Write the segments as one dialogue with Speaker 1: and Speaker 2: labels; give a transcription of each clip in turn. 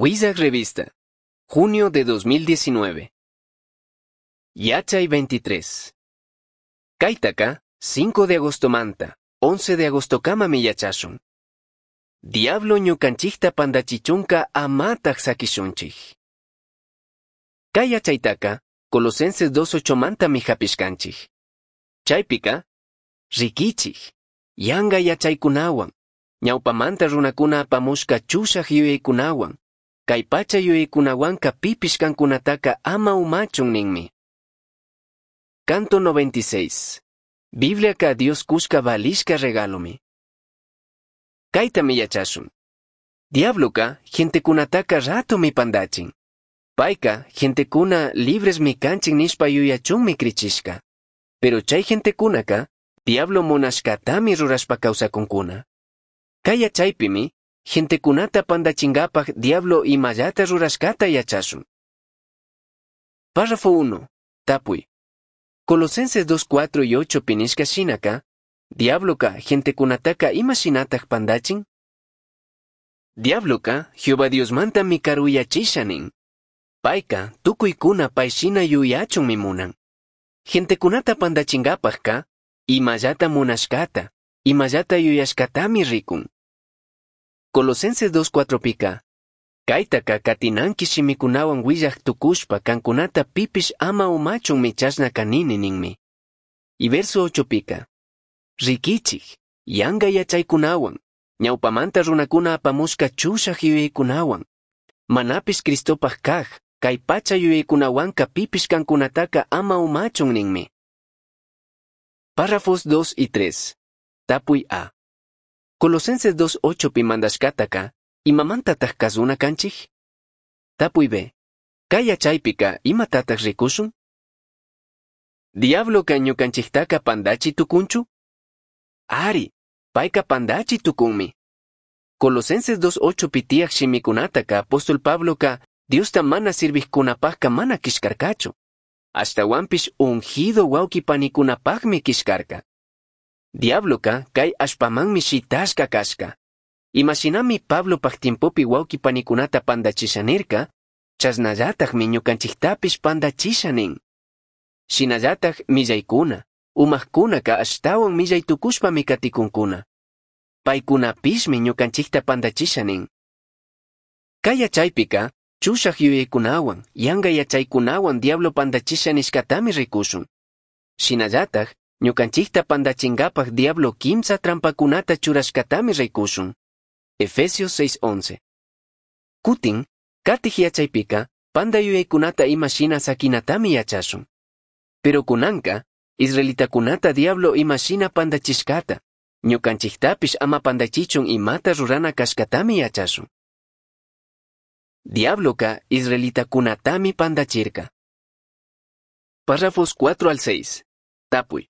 Speaker 1: Huizac Revista, junio de 2019. Yachay 23. Kaitaka, 5 de agosto manta, 11 de agosto kamami yachashun. Diablo ñukanchikta pandachichunka amataq sakishunchik. Kay yachaytaka, Colosenses 2.8 mantami hapishkanchik. Chaypika, rikichik, yanga yachaykunawan, ñawpamanta runakuna apamushka chushaq yuyaykunawan, kay pacha yuyaykunawanka pipish kankunataka ama umachun ninmi. Canto 96. Bibliaka Dios kushka valishka regalomi. Kaytami yachashun. Diabloka gentekunataka ratomi pandachin. Payka gentekuna libresmi kanchik nishpa yuyachunmi krichishka. Pero chay gentekunaka diablo munashkatami rurashpa kawsakunkuna. Kay yachaypimi gentekunata pandachingapaj diablo imallata rurashkata yachashun. Párrafo 1. Tapuy. Colosenses 2, 4 y 8 pinishka shinaka, diabloka gentekunataka ima shinataj pandachin? Diabloka Jehová Diosmantami karuyachisha nin. Payka tukuykuna pay shina yuyachunmi munan. Gentekunata pandachingapajka, imallata munashkata, imallata yuyashkatami rikun. Colosenses 2.4 pika, kaytaka katinanki shimikunawan willaj tukushpa kankunata pipish ama umachunmi chashna kanini ninmi. Y verso 8 pika, rikichik, yanga yachaykunawan, ñawpamanta runakuna apamushka chushaj yuyaykunawan, manapish Cristopaj kaj, kay pacha yuyaykunawanka pipish kankunataka ama umachun ninmi. Párrafos 2 y 3. Tapuy A. Colosenses 2.8 pi mandashkataka, imamantataq kazuna kanchik? Tapuy B. Kay yachaypika imatataq rikushun? Diabloka ñukanchiktaka pandachi tukunchu? Ari, payka pandachi tukunmi. Colosenses 2.8 pi tiyaj shimikunataka apóstol Pabloka Diosta mana sirvijkunapajka mana kishkarkachu. Ashtawanpish ungido wawqi panikunapajmi kishkarka. Diabloka kay allpamanmi shitashka kashka. Imashinami Pablopaj tiempopi wawqi panikunata pandachisha nirka, chashnallatajmi ñukanchiktapish pandachisha nin. Shinallataj millaykuna, umajkunaka ashtawan millay tukushpami katikunkuna. Paykunapishmi ñukanchikta pandachisha nin. Kay yachaypika, chushaj yuyaykunawan, yanga yachaykunawan diablo pandachisha nishkatami rikushun. Shinallataj, ñukanchikta pandachingapaj diablo kimsa trampakunata churashkatami rikushun. Efesios 6:11. Kutin, katij yachaypika, panda yuyaykunata ima shina sakinatami yachashun. Pero kunanka, israelitakunata diablo ima shina pandachishkata, ñukanchiktapish ama pandachichun imata rurana kashkatami yachashun. Diabloka israelitakunatami pandachirka. Párrafos 4 al 6. Tapuy.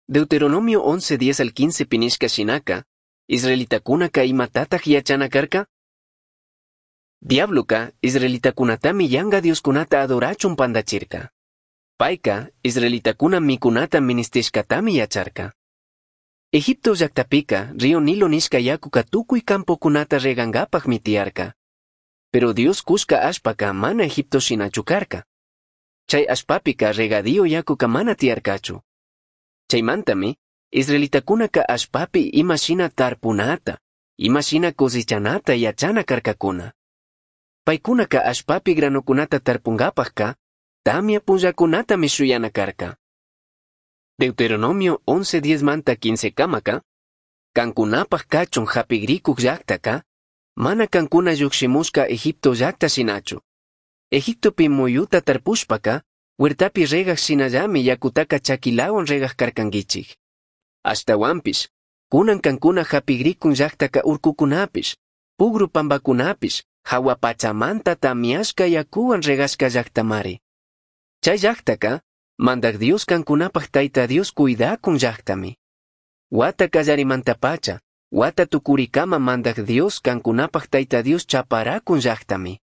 Speaker 1: Deuteronomio 11, 10 al 15 pinishka shinaka, israelitakunaka imatataq yachana karka? Diabloka israelitakunatami yanga dioskunata adorachun pandachirka. Payka israelitakuna mikunata ministishkatami yacharka. Egipto llaqtapika río Nilo nishka yakuka tukuy campokunata regankapaqmi tiyarka. Pero Dios kushka allpaka mana Egipto shinachu karka. Chay allpapika regadío yakuka mana tiyarkachu. Chaymantami, israelitakunaka allpapi ima shina tarpunata, ima shina cosechanata yachana karkakuna. Paykunaka allpapi granokunata tarpunkapajka, tamia punllakunatami shuyana karka. Deuteronomio 11:10 manta 15 kamaka, kankunapaj kachun hapigrikuq llaqtaka, mana kankuna llukshimushka Egipto llaqta shinachu. Egiptopi muyuta tarpushpaka, huertapi regaj shinallami yakutaka chakilawan regaj karkankichik. Ashtawanpish, kunan kankuna hapigrikun llaqtaka urkukunapish, pugru pampakunapish, hawa pachamanta tamiashka yakuwan regashka llaqtamari. Chay llaqtaka, Mandaj Dios kankunapaj Tayta Dios cuidakun llaqtami. Wata kallarimantapacha, wata tukurikama Mandaj Dios kankunapaj Tayta Dios chaparakun llaqtami.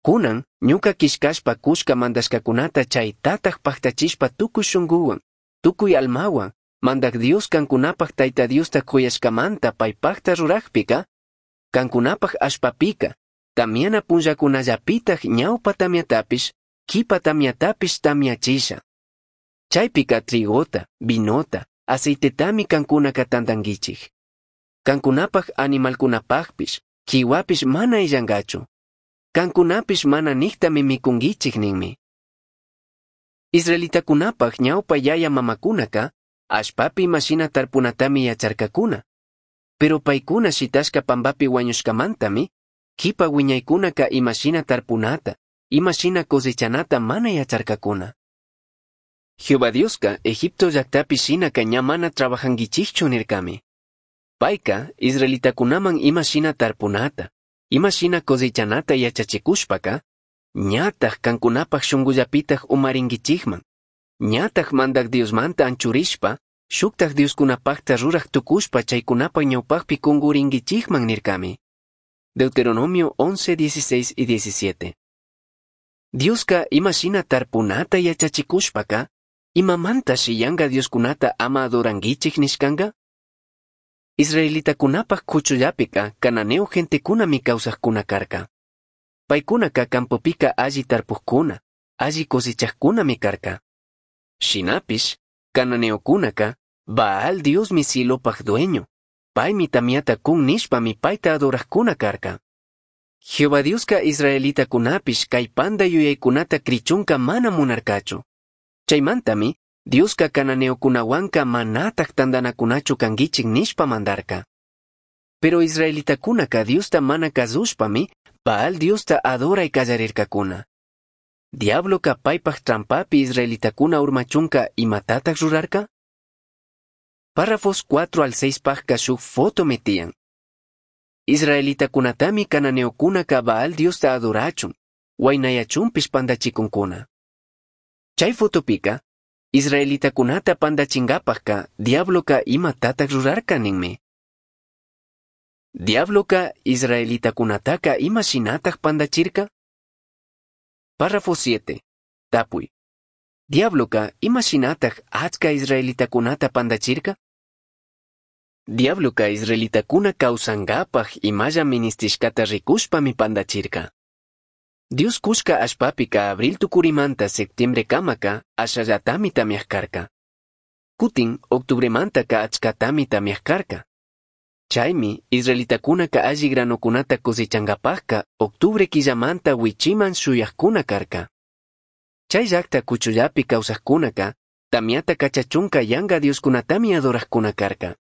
Speaker 1: Kunan, ñuka kishkashpa kushka mandashkakunata chaytataj paktachishpa tukuy shunkuwan, tukuy almawan, Mandaj Dios kankunapaj Tayta Diosta kuyashkamanta paypajta rurajpika, kankunapaj allpapika, Tamiana punllacunallapitaj ñaupa tamiatapish, quipa tamiatapish tamiachisha. Chaipica trigota, vinota, aceitetami cancunaca tandanguichij. Cancunapaj animalcunapajpish, quihuapish mana illangachu. Cancunapish mana nijtami micunguichij ninmi. Israelitacunapaj ñaupa yaya mamacunaca, allpapi imashina tarpunatami yacharcacuna. Pero paicuna shitashca pambapi huañushcamantami, quipa huiñaicunaca imashina tarpunata, imashina cosechanata mana yacharcacuna. Jehová Diosca Egipto llactapi shinaca ña mana trabajanguichijchu nircami. Paica israelitacunaman imashina tarpunata, imashina cosechanata yachachicushpaca, ñataj cancunapaj shungullapitaj umaringuichijman, ñataj Mandaj Diosmanta anchurishpa, shuktaj dioscunapajta ruraj tucushpa chaicunapaj ñaupajpi cunguringuichijman nircami. Deuteronomio 11, 16 y 17. Diosca imashina tarpunata yachachicushpaca, imamantashi yanga dioscunata ama adoranguichij nishcanga? Israelitacunapaj cuchullapika cananeo gentecunami causajcuna carca. Paicunaca campopica alli tarpujcuna, alli cosechajcunami carca. Shinapish, cananeocunaca, Baal Diosmi cielopaj dueño, paimi tamiata cun nishpami paita adorajcuna carca. Jehová Diosca israelitacunapish cai panda yuyaicunata crichunca mana munarcachu. Chaimantami, Diosca cananeocunahuanca manataj tandanacunachu canguichij nishpa mandarca. Pero israelitacunaca Diosta mana cazushpami, Baal Diosta adorai callarircacuna. Diabloca paipaj trampapi israelitacuna urmachunca imatataj rurarca? Párrafos 4 al 6 pajca shuj foto metian. Israelitacunatami cananeocunaca Baal Diosta adorachun, huainayachunpish pandachicuncuna. Chay fotopica, israelitacunata pandachingapajca diabloca imatataj rurarca ninmi. Diabloca israelitacunataca imashinataj pandachirca? Párrafo 7. Tapuy. Diabloca imashinataj achca israelitacunata pandachirca? Diabloca israelitacuna causangapaj imalla ministishcata ricushpami pandachirca. Dios cushca allpapica abril tucurimanta septiembre camaca ashallatami tamiaj carca. Cutin octubremantaka achcatami tamiaj carca. Chaimi israelitacunaka alli granocunata cosechangapajca octubre quillamanta huichiman shuyajcuna carca. Chay llacta cuchullapi causajcunaca tamiata cachachunca yanga dioscunatami adorajcuna carca.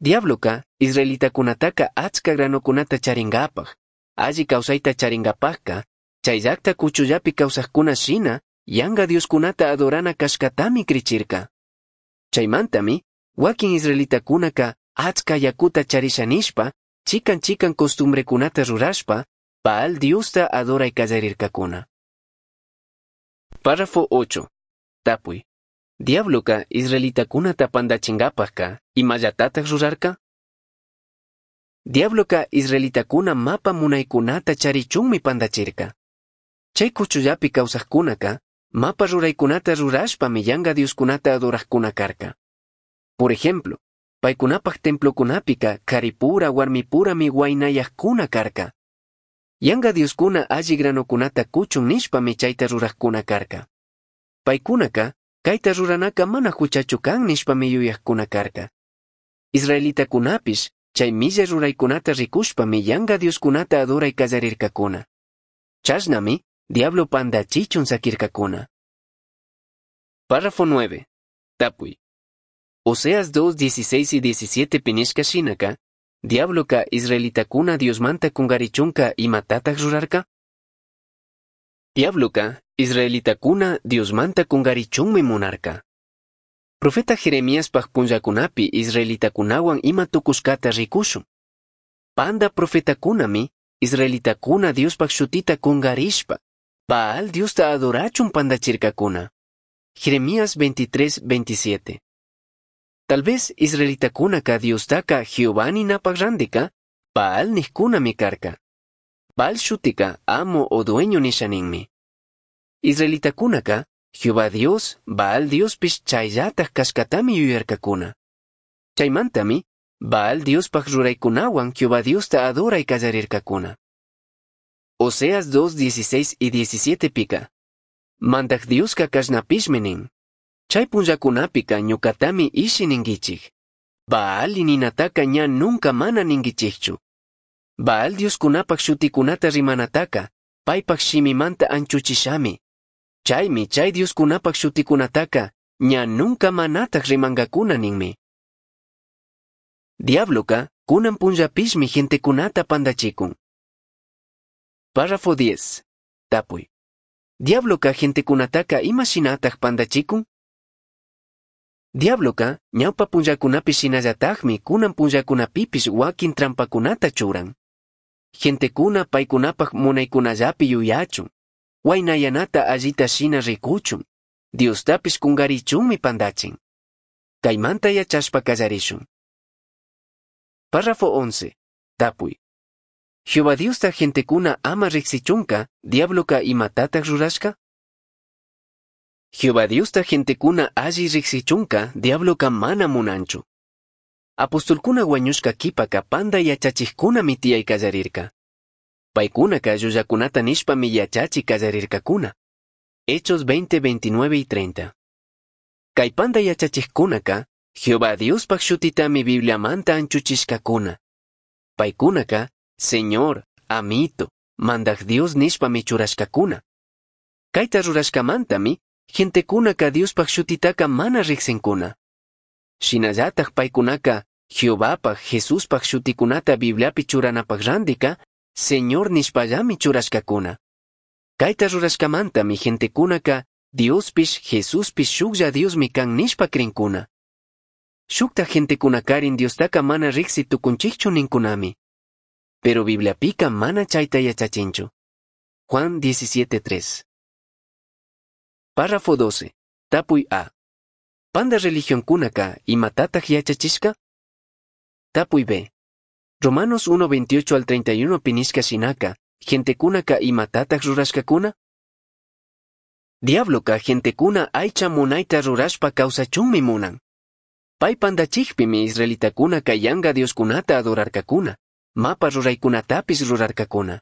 Speaker 1: Diabloca israelitacunataca achca granocunata charingapaj, alli causaita charingapajca, chay llacta cuchullapi causajcuna shina, yanga dioscunata adorana cashcatami crichirca. Chaimantami, wakin israelitacunaca achca yakuta charisha nishpa, chican chican costumbrecunata rurashpa, Baal Diosta adorai callarircacuna. Párrafo 8. Tapuy. Diabloca israelitacunata pandachingapajca, imallatataj rurarca? Diabloca israelitacuna mapa munaicunata charichunmi pandachirca. Chay cuchullapi causajcunaca, mapa ruraicunata rurashpami yanga dioscunata adorajcuna carca. Por ejemplo, paicunapaj templocunapica caripura warmipurami huainayajcuna carca. Yanga dioscuna alli granocunata cuchun nishpami chaita rurajcuna carca. Paicunaca, caita ruranaca mana juchachu can nishpami yuyajcuna carca. Israelitacunapish, chay millay ruraicunata ricushpami yanga dioscunata adorai callarircacuna. Chashnami, diablo pandachichun saquircacuna. Párrafo 9. Tapuy. Oseas 2, 16 y 17 pinishka shinaka, diabloca israelitacuna Diosmanta kungarichunka imatataj rurarca? Diabloca israelitacuna Diosmanta kungarichunmi munarca. Profeta Jeremiaspaj punllakunapi israelitakunawan ima tukushkata rikushun. Panda profetakunami israelitakuna Diospaj shutita kungarishpa, Baal Diosta adorachun pandachirkakuna. Jeremías 23, 27. Tal vez israelitakunaka Diostaka Jehová ninapaj randika, Baal nijkunami karka. Baal shutika amo o dueño nisha ninmi. Israelitakunaka Jehová Dios, Baal Diospish chayllataj kashkatami yuyarkakuna. Chaymantami, Baal Diospaj ruraykunawan Jehová Diosta adoray kallarirkakuna. Oseas 2, 16 y 17 pica. Mandaj Diosca cashnapishmi nin. Chai punllacunapica ñucatami ishi ninguichij. Baal ninataca ña nunca mana ninguichijchu. Baal dioscunapaj shuticunata rimanataca, paipaj shimimanta anchuchishami. Chaimi chai dioscunapaj shuticunataca, ña nunca manataj rimangacuna ninmi. Diabloca, kunan punllapishmi gentecunata pandachicun. Párrafo 10. Tapui. Diabloca gentecunataca ima shinataj pandachicun? Diabloca, ñawpa punllakunapi shinallatajmi kunan punllakunapipish wakin trampacunata churan. Gentecuna paikunapaj munaykunallapi yuyachun, huaynayanata allita shina ricuchun, Diostapish kungarichunmi pandachin. Kaymanta yachashpa kallarishun. Párrafo 11. Tapui. Jehová Diosta gentecuna ama rijsichunca, diabloca imatataj rurashca? Jehová Diosta gentecuna alli rijsichunca, diabloca mana munanchu. Apostolcuna huañushca quipaka panda yachachijcunami tiyai kallarirca. Paicunaca llullacunata nishpami yachachi kallarircacuna. Hechos 20, 29 y 30. Kay panda yachachijcunaca, Jehová Diospaj shutitami Bibliamanta anchuchishcacuna. Paicunaca, Señor, Amito, Mandaj Dios nishpami churashcacuna. Kayta rurashcamantami, gentecunaka Diospaj shutitaca mana rijsincuna. Shinallataj paicunaca, Jehovapaj, Jesuspaj shuticunata Bibliapi churanapaj randika, Señor nishpallami churashcacuna. Kayta rurashcamantami gentecunaka Diospish, Jesuspish shuklla Diosmi kan nishpa crincuna. Shukta gentecunacarin Diostaca mana rijsi tucunchikchu ninkunami. Pero Bibliapika mana chayta yachachinchu. Juan 17.3. Párrafo 12. Tapuy A. Panda religionkunaka imatataj yachachishka? Tapuy B. Romanos 1.28 al 31 pinishka shinaka, gentekunaka imatataj rurashkakuna? Diabloka gentecuna aycha munayta rurashpa kawsachunmi munan. Pay pandachikpimi israelitakunaka yanga dioskunata adorarkakuna, mapa ruraykunatapis rurarkakuna.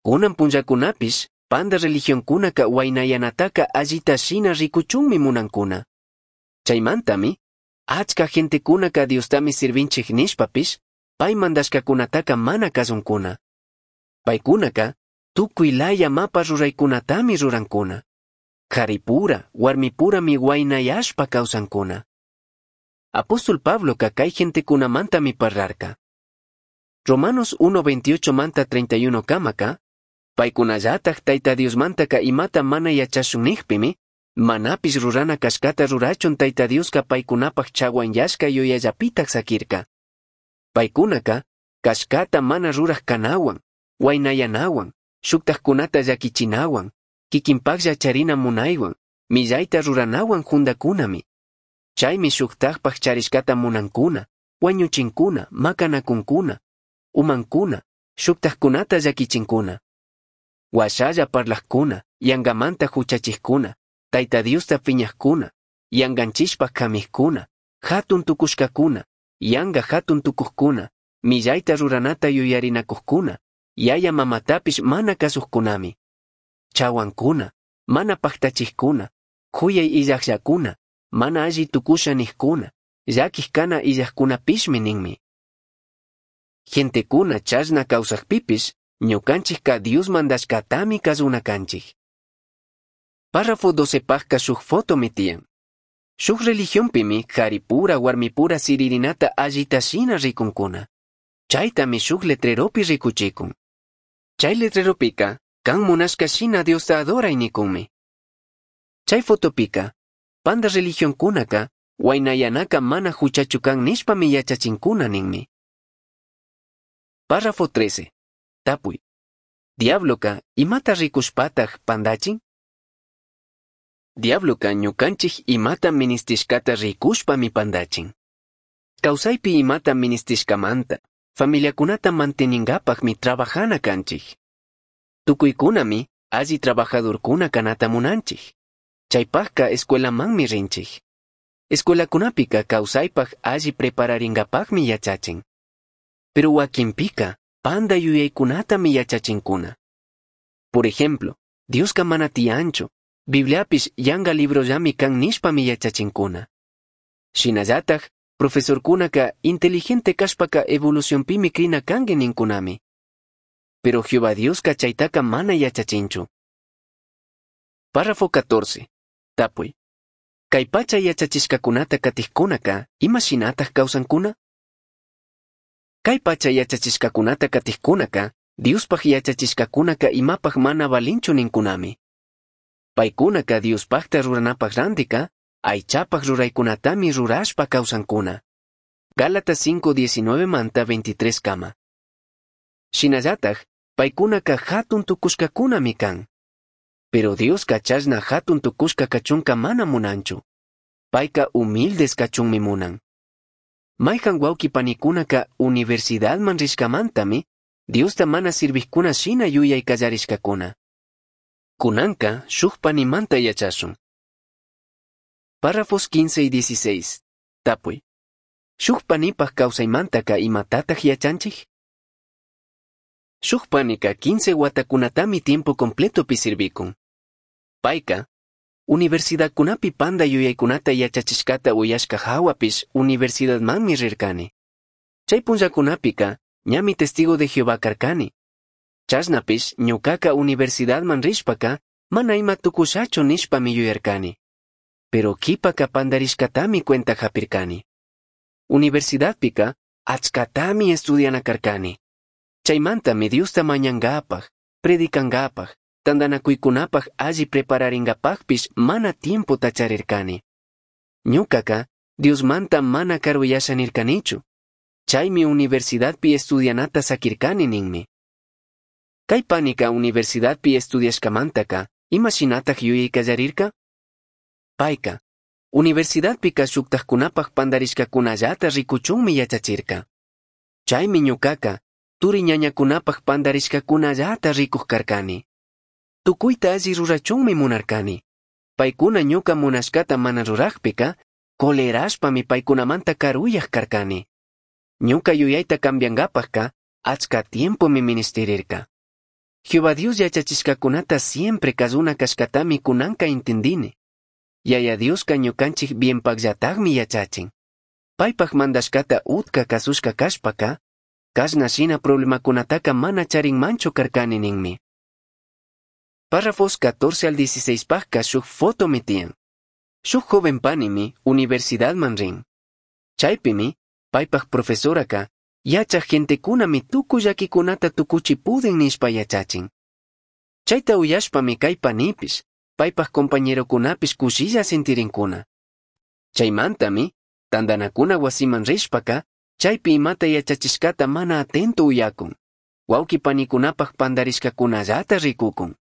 Speaker 1: Kunan punllakunapish, panda religionkunaka waynayanataka allita shina rikuchunmi munankuna. Chaymantami, achka gentekunaka Diostami sirvinchik nishpapish, pay mandashkakunataka mana kasunkuna. Paykunaka, tukuy laya mapa ruraykunatami rurankuna. Karipura, warmipurami waynayashpa kawsankuna. Apóstol Pabloka kay gentekunamantami parlarka. Romanos 1.28 manta 31 kamaka, paykunallataj Tayta Diosmantaka imata mana yachashun nijpimi, manapish rurana kashkata rurachun Tayta Dioska paykunapaj chawanyashka yuyallapitaj sakirka. Paykunaka, kashkata mana ruraj kanawan, waynayanawan, shuktajkunata llakichinawan, kikinpajlla charina munaywan, millayta ruranawan jundakunami. Chaymi shuktajpaj charishkata munankuna, wañuchinkuna, makanakunkuna, umankuna, shuktajkunata llakichinkuna. Washalla parlajkuna, yangamanta huchachijkuna, Tayta Diosta piñajkuna, yanganchishpa kamijkuna, hatun tukushkakuna, yanga hatun tukujkuna, millayta ruranata yuyarinakujkuna, yaya mamatapish mana kasujkunami. Chawankuna, mana paktachijkuna, kuyay illajllakuna, mana alli tukusha nijkuna, llakij kana illajkunapishmi ninmi. Gentecuna chashna kawsajpipish, ñukanchikka Dios mandashkatami kasuna kanchik. Párrafo 12 pajka shuk fotomi tiyan. Shuk religionpimi karipura warmipura siririnata allita shina rikunkuna. Chaytami shuk letreropi rikuchikun. Chay letreropika, kan munashka shina Diosta adoray nikunmi. Chay fotopika, panda religionkunaka, waynayanaka mana huchachu kan nishpami yachachinkuna ninmi. Párrafo 13. Tapuy. Diabloka, imata rikushpataj pandachin? Diabloka ñukanchik imata ministishkata rikushpami pandachin. Kawsaypi imata ministishkamanta, familiakunata manteningapaqmi trabajana kanchik. Tukuykunami alli trabajadorkuna kanata munanchik. Chaypaqka escuelamanmi rinchik. Escuelakunapika kawsaypaq alli prepararingapaqmi yachachin. Pero wakinpika panda yuyaykunatami yachachinkuna. Por ejemplo, Diosca mana tiyanchu, Bibliapish yanga librollami can nishpami yachachincuna. Shinallataj, profesorcunaka inteligente cashpaca evolucionpimi crina cangui nincunami. Pero Jehová Diosca chaitaca mana yachachinchu. Párrafo 14. Tapui. Kay pacha yachachishkakunata katijkunaka, ima shinataj kawsankuna? Kay pacha yachachishkakunata katijkunaka, Diospaj yachachishkakunaka imapaj mana valinchu ninkunami. Paykunaka Diospajta ruranapaj randika, aychapaj ruraykunatami rurashpa kawsankuna. Gálatas 5:19 manta 23 kama. Shinallataj, paykunaka hatun tukushkakunami kan. Pero Dioska chashna hatun tukushka kachunka mana munanchu. Payka humildes kachunmi munan. Mayhan wawqi panikunaka universidadman rishkamantami, Diosta mana sirvijkuna shina yuyay kallarishkakuna. Kunanka shuj panimanta yachashun. Párrafos 15 y 16. Tapuy. Shuj panipaj kawsaymantaka imatataj yachanchij? Shuj panika 15 watakunatami tiempo completopi sirvikun. Payka, universidadkunapi panda yuyaykunata yachachishkata uyashka hawapish universidadmanmi rirkani. Chay punllakunapika, ñami testigo de Jehová karkani. Chashnapish ñukaka universidadman rishpaka, mana ima tukushachu nishpami yuyarkani. Pero kipaka pandarishkatami cuenta japirkani. Universidadpika, achkatami estudiana karkani. Chaymantami Diosta mañangapaj, predicangapaj, tandanakuykunapaj alli prepararingapajpish mana tiempota charirkani. Ñukaka, Diosmanta mana karuyasha nirkanichu. Chaymi universidadpi estudianata sakirkani ninmi. Kay panika universidadpi estudiashkamantaka, ima shinataj yuyay kallarirka? Payka, universidadpika shuktajkunapaj pandarishkakunallata rikuchunmi yachachirka. Chaymi ñukaka, turi ñañakunapaj pandarishkakunallata rikuj karkani. Tukuyta alli rurachunmi munarkani. Paykuna ñuka munashkata mana rurajpika, colerashpami paykunamanta karuyaj karkani. Ñuka yuyayta cambiangapajka, achka tiempomi ministirirka. Jehová Dios yachachishkakunata siempre kazuna kashkatami kunanka intindini. Yaya Dioska ñukanchik bienpakllatajmi yachachin. Paypaj mandashkata utka kasushka kashpaka, kashna shina problemakunataka mana charinmanchu karkani ninmi. Párrafos 14 al 16 pajka shuj fotomi tiyan. Shuj joven panimi universidadman rin. Chaypimi, paypaj profesoraka, yachaj gentekunami tukuy llakikunata tukuchi pudin nishpa yachachin. Chayta uyashpami kay panipish, paypaj compañerokunapish kushilla sintirinkuna. Chaymantami, tandanakuna wasiman rishpaka, chaypi imata yachachishkata mana atento uyakun. Wawqi panikunapaj pandarishkakunallata rikukun.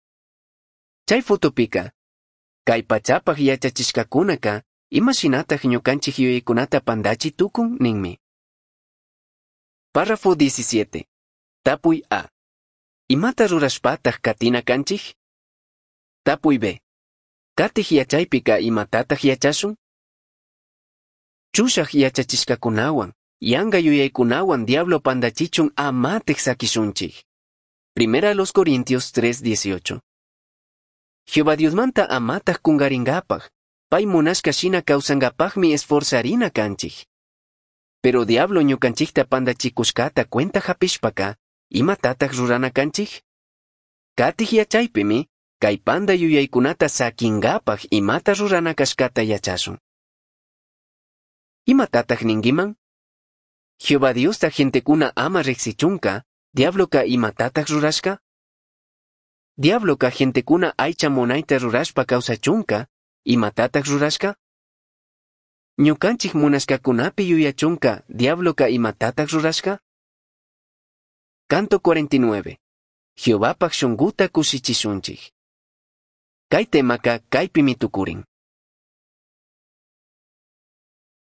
Speaker 1: Chay fotopika, kay pachapaj yachachishkakunaka, ima shinataj ñukanchik yuyaykunata pandachi tukun ninmi. Párrafo 17. Tapuy A. Imata rurashpataj katina kanchik? Tapuy B. Katij yachaypika imatataj yachashun? Chushaj yachachishkakunawan, yanga yuyaykunawan diablo pandachichun amataj sakishunchik. Primera a los Corintios 3:18. Jehová Diosmanta amataj kungaringapaj, pay munashka shina kawsangapajmi esforzarina kanchik. Pero diablo ñukanchikta pandachikushkata cuenta hapishpaka, imatataj rurana kanchik? Katij yachaypimi, kay panda yuyaykunata sakingapaj imata rurana kashkata yachashun. Imatataj ninkiman? Jehová Diosta gentekuna ama riksichunka, diabloka imatataj rurashka? Diabloka gentekuna aycha munayta rurashpa kawsachunka, imatataj rurashka? Ñukanchik munashkakunapi yuyachunka, diabloka imatataj rurashka? Canto 49. Jehovapaj shunguta kushichishunchik. Kay temaka kaypimi tukurin.